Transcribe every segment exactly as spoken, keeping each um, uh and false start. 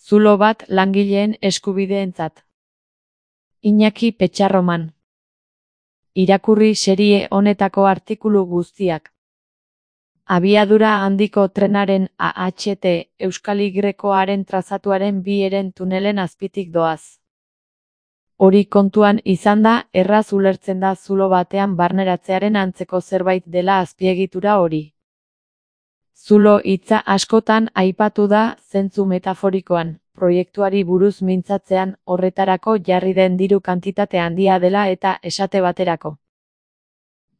Zulo bat langileen eskubideentzat. Iñaki Petxarroman. Irakurri serie honetako artikulu guztiak. Abiadura handiko trenaren A H T Euskal Y-aren trazatuaren bi heren tunelen azpitik doaz. Hori kontuan izanda, erraz ulertzen da zulo batean barneratzearen antzeko zerbait dela azpiegitura hori. Zulo hitza askotan aipatu da zentzu metaforikoan, proiektuari buruz mintzatzean, horretarako jarri den diru kantitate handia dela eta esate baterako.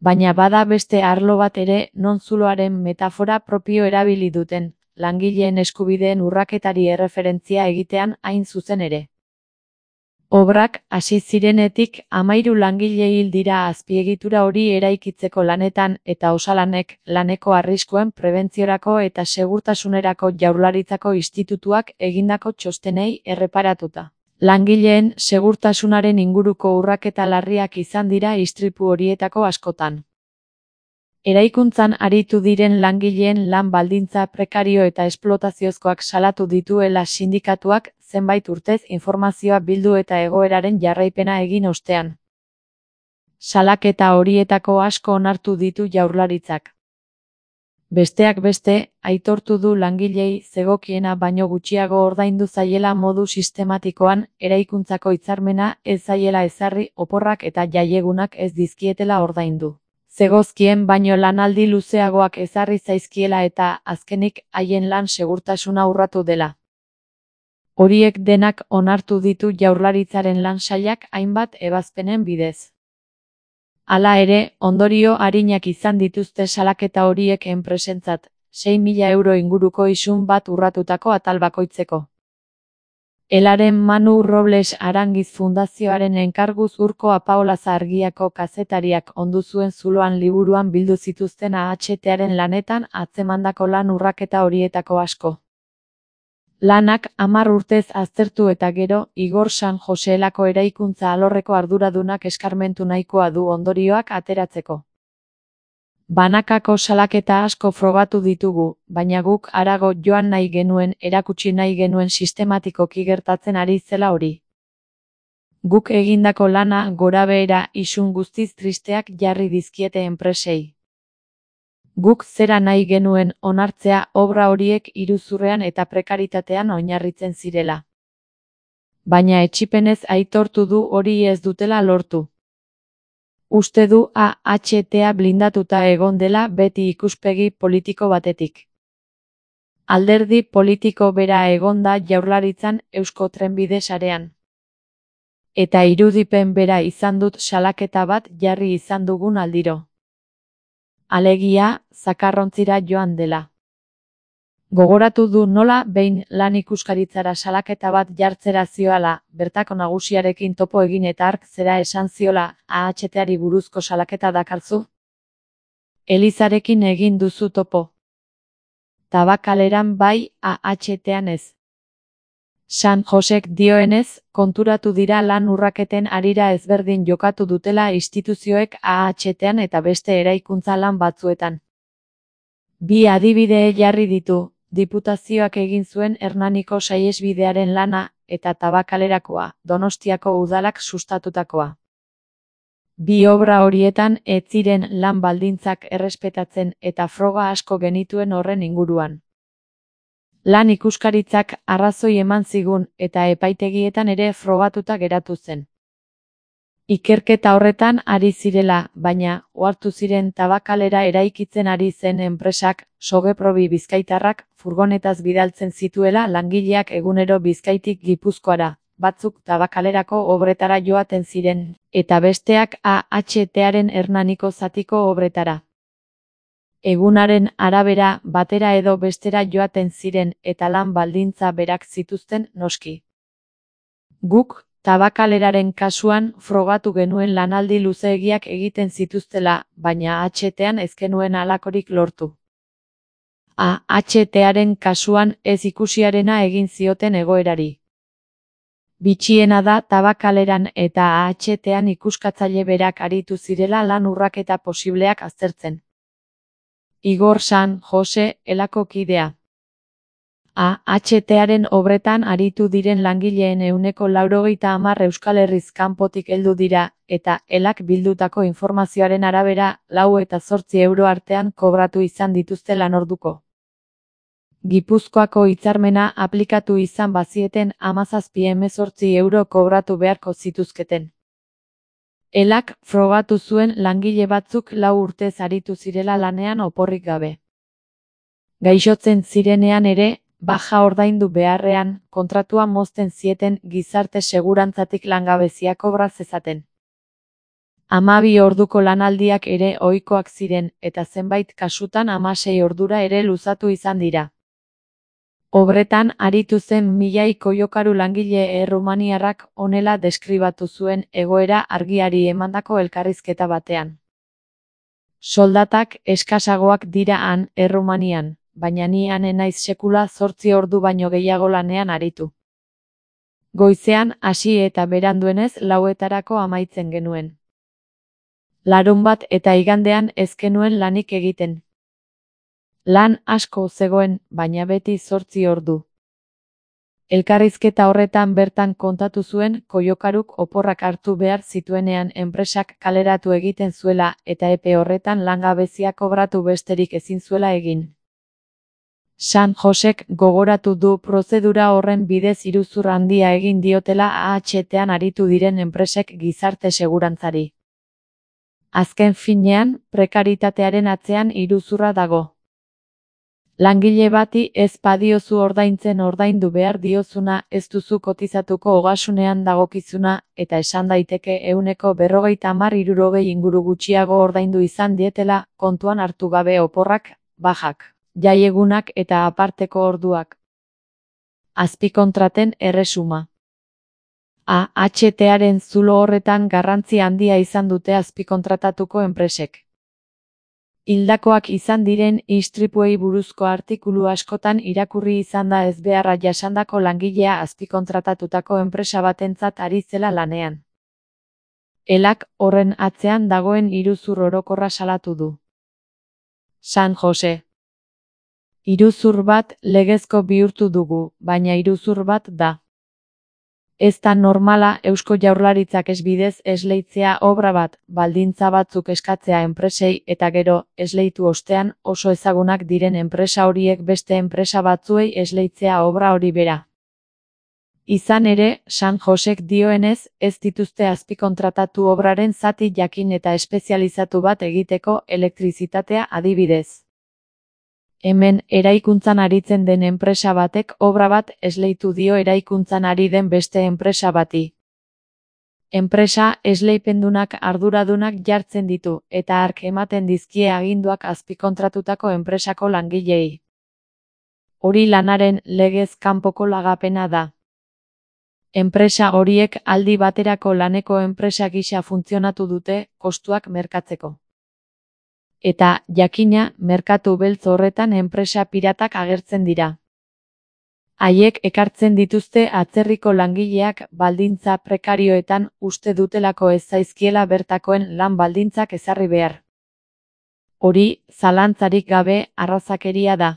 Baina bada beste arlo bat ere non zuloaren metafora propio erabili duten, langileen eskubideen urraketari erreferentzia egitean hain zuzen ere. Obrak hasi zirenetik hamahiru langile hil dira azpiegitura hori eraikitzeko lanetan eta osalanek laneko arriskuen prebentziorako eta segurtasunerako Jaurlaritzako institutuak egindako txostenei erreparatuta. Langileen segurtasunaren inguruko urraketa larriak izan dira istripu horietako askotan. Eraikuntzan aritu diren langileen lan baldintza prekario eta esplotaziozkoak salatu dituela sindikatuak zenbait urtez informazioa bildu eta egoeraren jarraipena egin ostean. Salaketa horietako asko onartu ditu Jaurlaritzak. Besteak beste, aitortu du langilei zegokiena baino gutxiago ordaindu zaiela modu sistematikoan, eraikuntzako hitzarmena ez zaiela ezarri, oporrak eta jaiegunak ez dizkietela ordaindu. Zegozkien baino lanaldi luzeagoak ezarri zaizkiela eta, azkenik, haien lan segurtasuna urratu dela. Horiek denak onartu ditu Jaurlaritzaren lan sailak hainbat ebazpenen bidez. Hala ere, ondorio arinak izan dituzte salaketa horiek enpresentzat, sei mila euro inguruko isun bat urratutako atal bakoitzeko. Elaren Manu Robles Arangiz Fundazioaren enkarguz Urko Apaolaza Argiako kazetariak ondu zuen zuloan liburuan bildu zituzten A H T-aren lanetan atzemandako lan urraketa horietako asko. Lanak hamar urtez aztertu eta gero, Igor San Joseelako eraikuntza alorreko arduradunak eskarmentu nahikoa du ondorioak ateratzeko. Banakako salaketa asko frogatu ditugu, baina guk harago joan nahi genuen, erakutsi nahi genuen sistematikoki gertatzen ari zela hori. Guk egindako lana gorabehera isun guztiz tristeak jarri dizkiete enpresei. Guk zera nahi genuen onartzea obra horiek iruzurrean eta prekaritatean oinarritzen zirela. Baina etsipenez aitortu du hori ez dutela lortu. Uste du A H T-a blindatuta egon dela beti ikuspegi politiko batetik. Alderdi politiko bera egon da Jaurlaritzan Eusko Trenbide sarean. Eta irudipen bera izan dut salaketa bat jarri izan dugun aldiro. Alegia, zakarrontzira joan dela. Gogoratu du nola behin lan ikuskaritzara salaketa bat jartzera zioala, bertako nagusiarekin topo egin eta hark zera esan ziola, A H T-ari buruzko salaketa dakarzu? Elizarekin egin duzu topo. Tabakaleran bai, A H T-an ez. San Josek dioenez, konturatu dira lan urraketen harira ezberdin jokatu dutela instituzioek A H T-an eta beste eraikuntza lan batzuetan. Bi adibide jarri ditu, Diputazioak egin zuen Hernaniko saihesbidearen lana, eta Tabakalerakoa, Donostiako udalak sustatutakoa. Bi obra horietan ez ziren lan baldintzak errespetatzen eta froga asko genituen horren inguruan. Lan ikuskaritzak arrazoi eman zigun eta epaitegietan ere frogatuta geratu zen. Ikerketa horretan ari zirela, baina, ohartu ziren Tabakalera eraikitzen ari zen enpresak, Sogeprobi bizkaitarrak, furgonetaz bidaltzen zituela langileak egunero Bizkaitik Gipuzkoara, batzuk Tabakalerako obretara joaten ziren, eta besteak A H T-aren Hernaniko zatiko obretara. Egunaren arabera, batera edo bestera joaten ziren eta lan baldintza berak zituzten noski. Guk, Tabakaleraren kasuan frogatu genuen lanaldi luzeegiak egiten zituztela, baina A H T-an ez genuen halakorik lortu. A H T-aren kasuan ez ikusiarena egin zioten egoerari. Bitxiena da Tabakaleran eta A H T-an ikuskatzaile berak aritu zirela lan urraketa posibleak aztertzen. Igor San Jose, elako kidea. A H T-aren obretan aritu diren langileen ehuneko laurogeita hamar Euskal Herriz kanpotik heldu dira, eta elak bildutako informazioaren arabera, lau eta zortzi euro artean kobratu izan dituzte lanorduko. Gipuzkoako hitzarmena aplikatu izan bazieten hamazazpi hemezortzi euro kobratu beharko zituzketen. Elak frogatu zuen langile batzuk lau urtez aritu zirela lanean oporrik gabe. Gaixotzen zirenean ere, baja ordaindu beharrean, kontratua mozten zieten gizarte segurantzatik langabezia kobra zezaten. Hamabi orduko lanaldiak ere ohikoak ziren, eta zenbait kasutan hamasei ordura ere luzatu izan dira. Obretan aritu zen milai koiokaru langile errumaniarrak honela deskribatu zuen egoera argiari emandako elkarrizketa batean. Soldatak eskasagoak dira han, Errumanian, baina ni han enaiz sekula zortzi ordu baino gehiago lanean aritu. Goizean hasi eta beranduenez lauetarako amaitzen genuen. Larunbat eta igandean ez genuen lanik egiten. Lan asko zegoen, baina beti zortzi ordu. Elkarrizketa horretan bertan kontatu zuen koiokaruk oporrak hartu behar zituenean enpresak kaleratu egiten zuela eta epe horretan langabezia kobratu besterik ezin zuela egin. San Josek gogoratu du prozedura horren bidez iruzur handia egin diotela A H T-an aritu diren enpresek gizarte segurantzari. Azken finean, prekaritatearen atzean iruzurra dago. Langile bati ez badiozu ordaintzen ordaindu behar diozuna, ez duzu kotizatuko ogasunean dagokizuna, eta esan daiteke ehuneko berrogeita hamar hirurogei inguru gutxiago ordaindu izan dietela, kontuan hartu gabe oporrak, bajak, jaiegunak eta aparteko orduak. Azpikontraten erresuma. A H T-aren zulo horretan garrantzi handia izan dute azpikontratatuko enpresek. Hildakoak izan diren istripuei buruzko artikulu askotan irakurri izan da ezbeharra jasandako langilea azpikontratatutako enpresa batentzat ari zela lanean. Elak horren atzean dagoen iruzur orokorra salatu du. San Jose. Iruzur bat legezko bihurtu dugu, baina iruzur bat da. Ez da normala Eusko Jaurlaritzak esbidez esleitzea obra bat, baldintza batzuk eskatzea enpresei eta gero, esleitu ostean, oso ezagunak diren enpresa horiek beste enpresa batzuei esleitzea obra hori bera. Izan ere, San Josek dioenez, ez dituzte azpikontratatu obraren zati jakin eta espezializatu bat egiteko elektrizitatea adibidez. Hemen eraikuntzan aritzen den enpresa batek obra bat esleitu dio eraikuntzan ari den beste enpresa bati. Enpresa esleipendunak arduradunak jartzen ditu, eta hark ematen dizkie aginduak azpikontratutako enpresako langilei. Hori lanaren legez kanpoko lagapena da. Enpresa horiek aldi baterako laneko enpresa gisa funtzionatu dute, kostuak merkatzeko. Eta, jakina, merkatu beltz horretan enpresa piratak agertzen dira. Haiek ekartzen dituzte atzerriko langileak baldintza prekarioetan uste dutelako ez zaizkiela bertakoen lan baldintzak ezarri behar. Hori, zalantzarik gabe, arrazakeria da.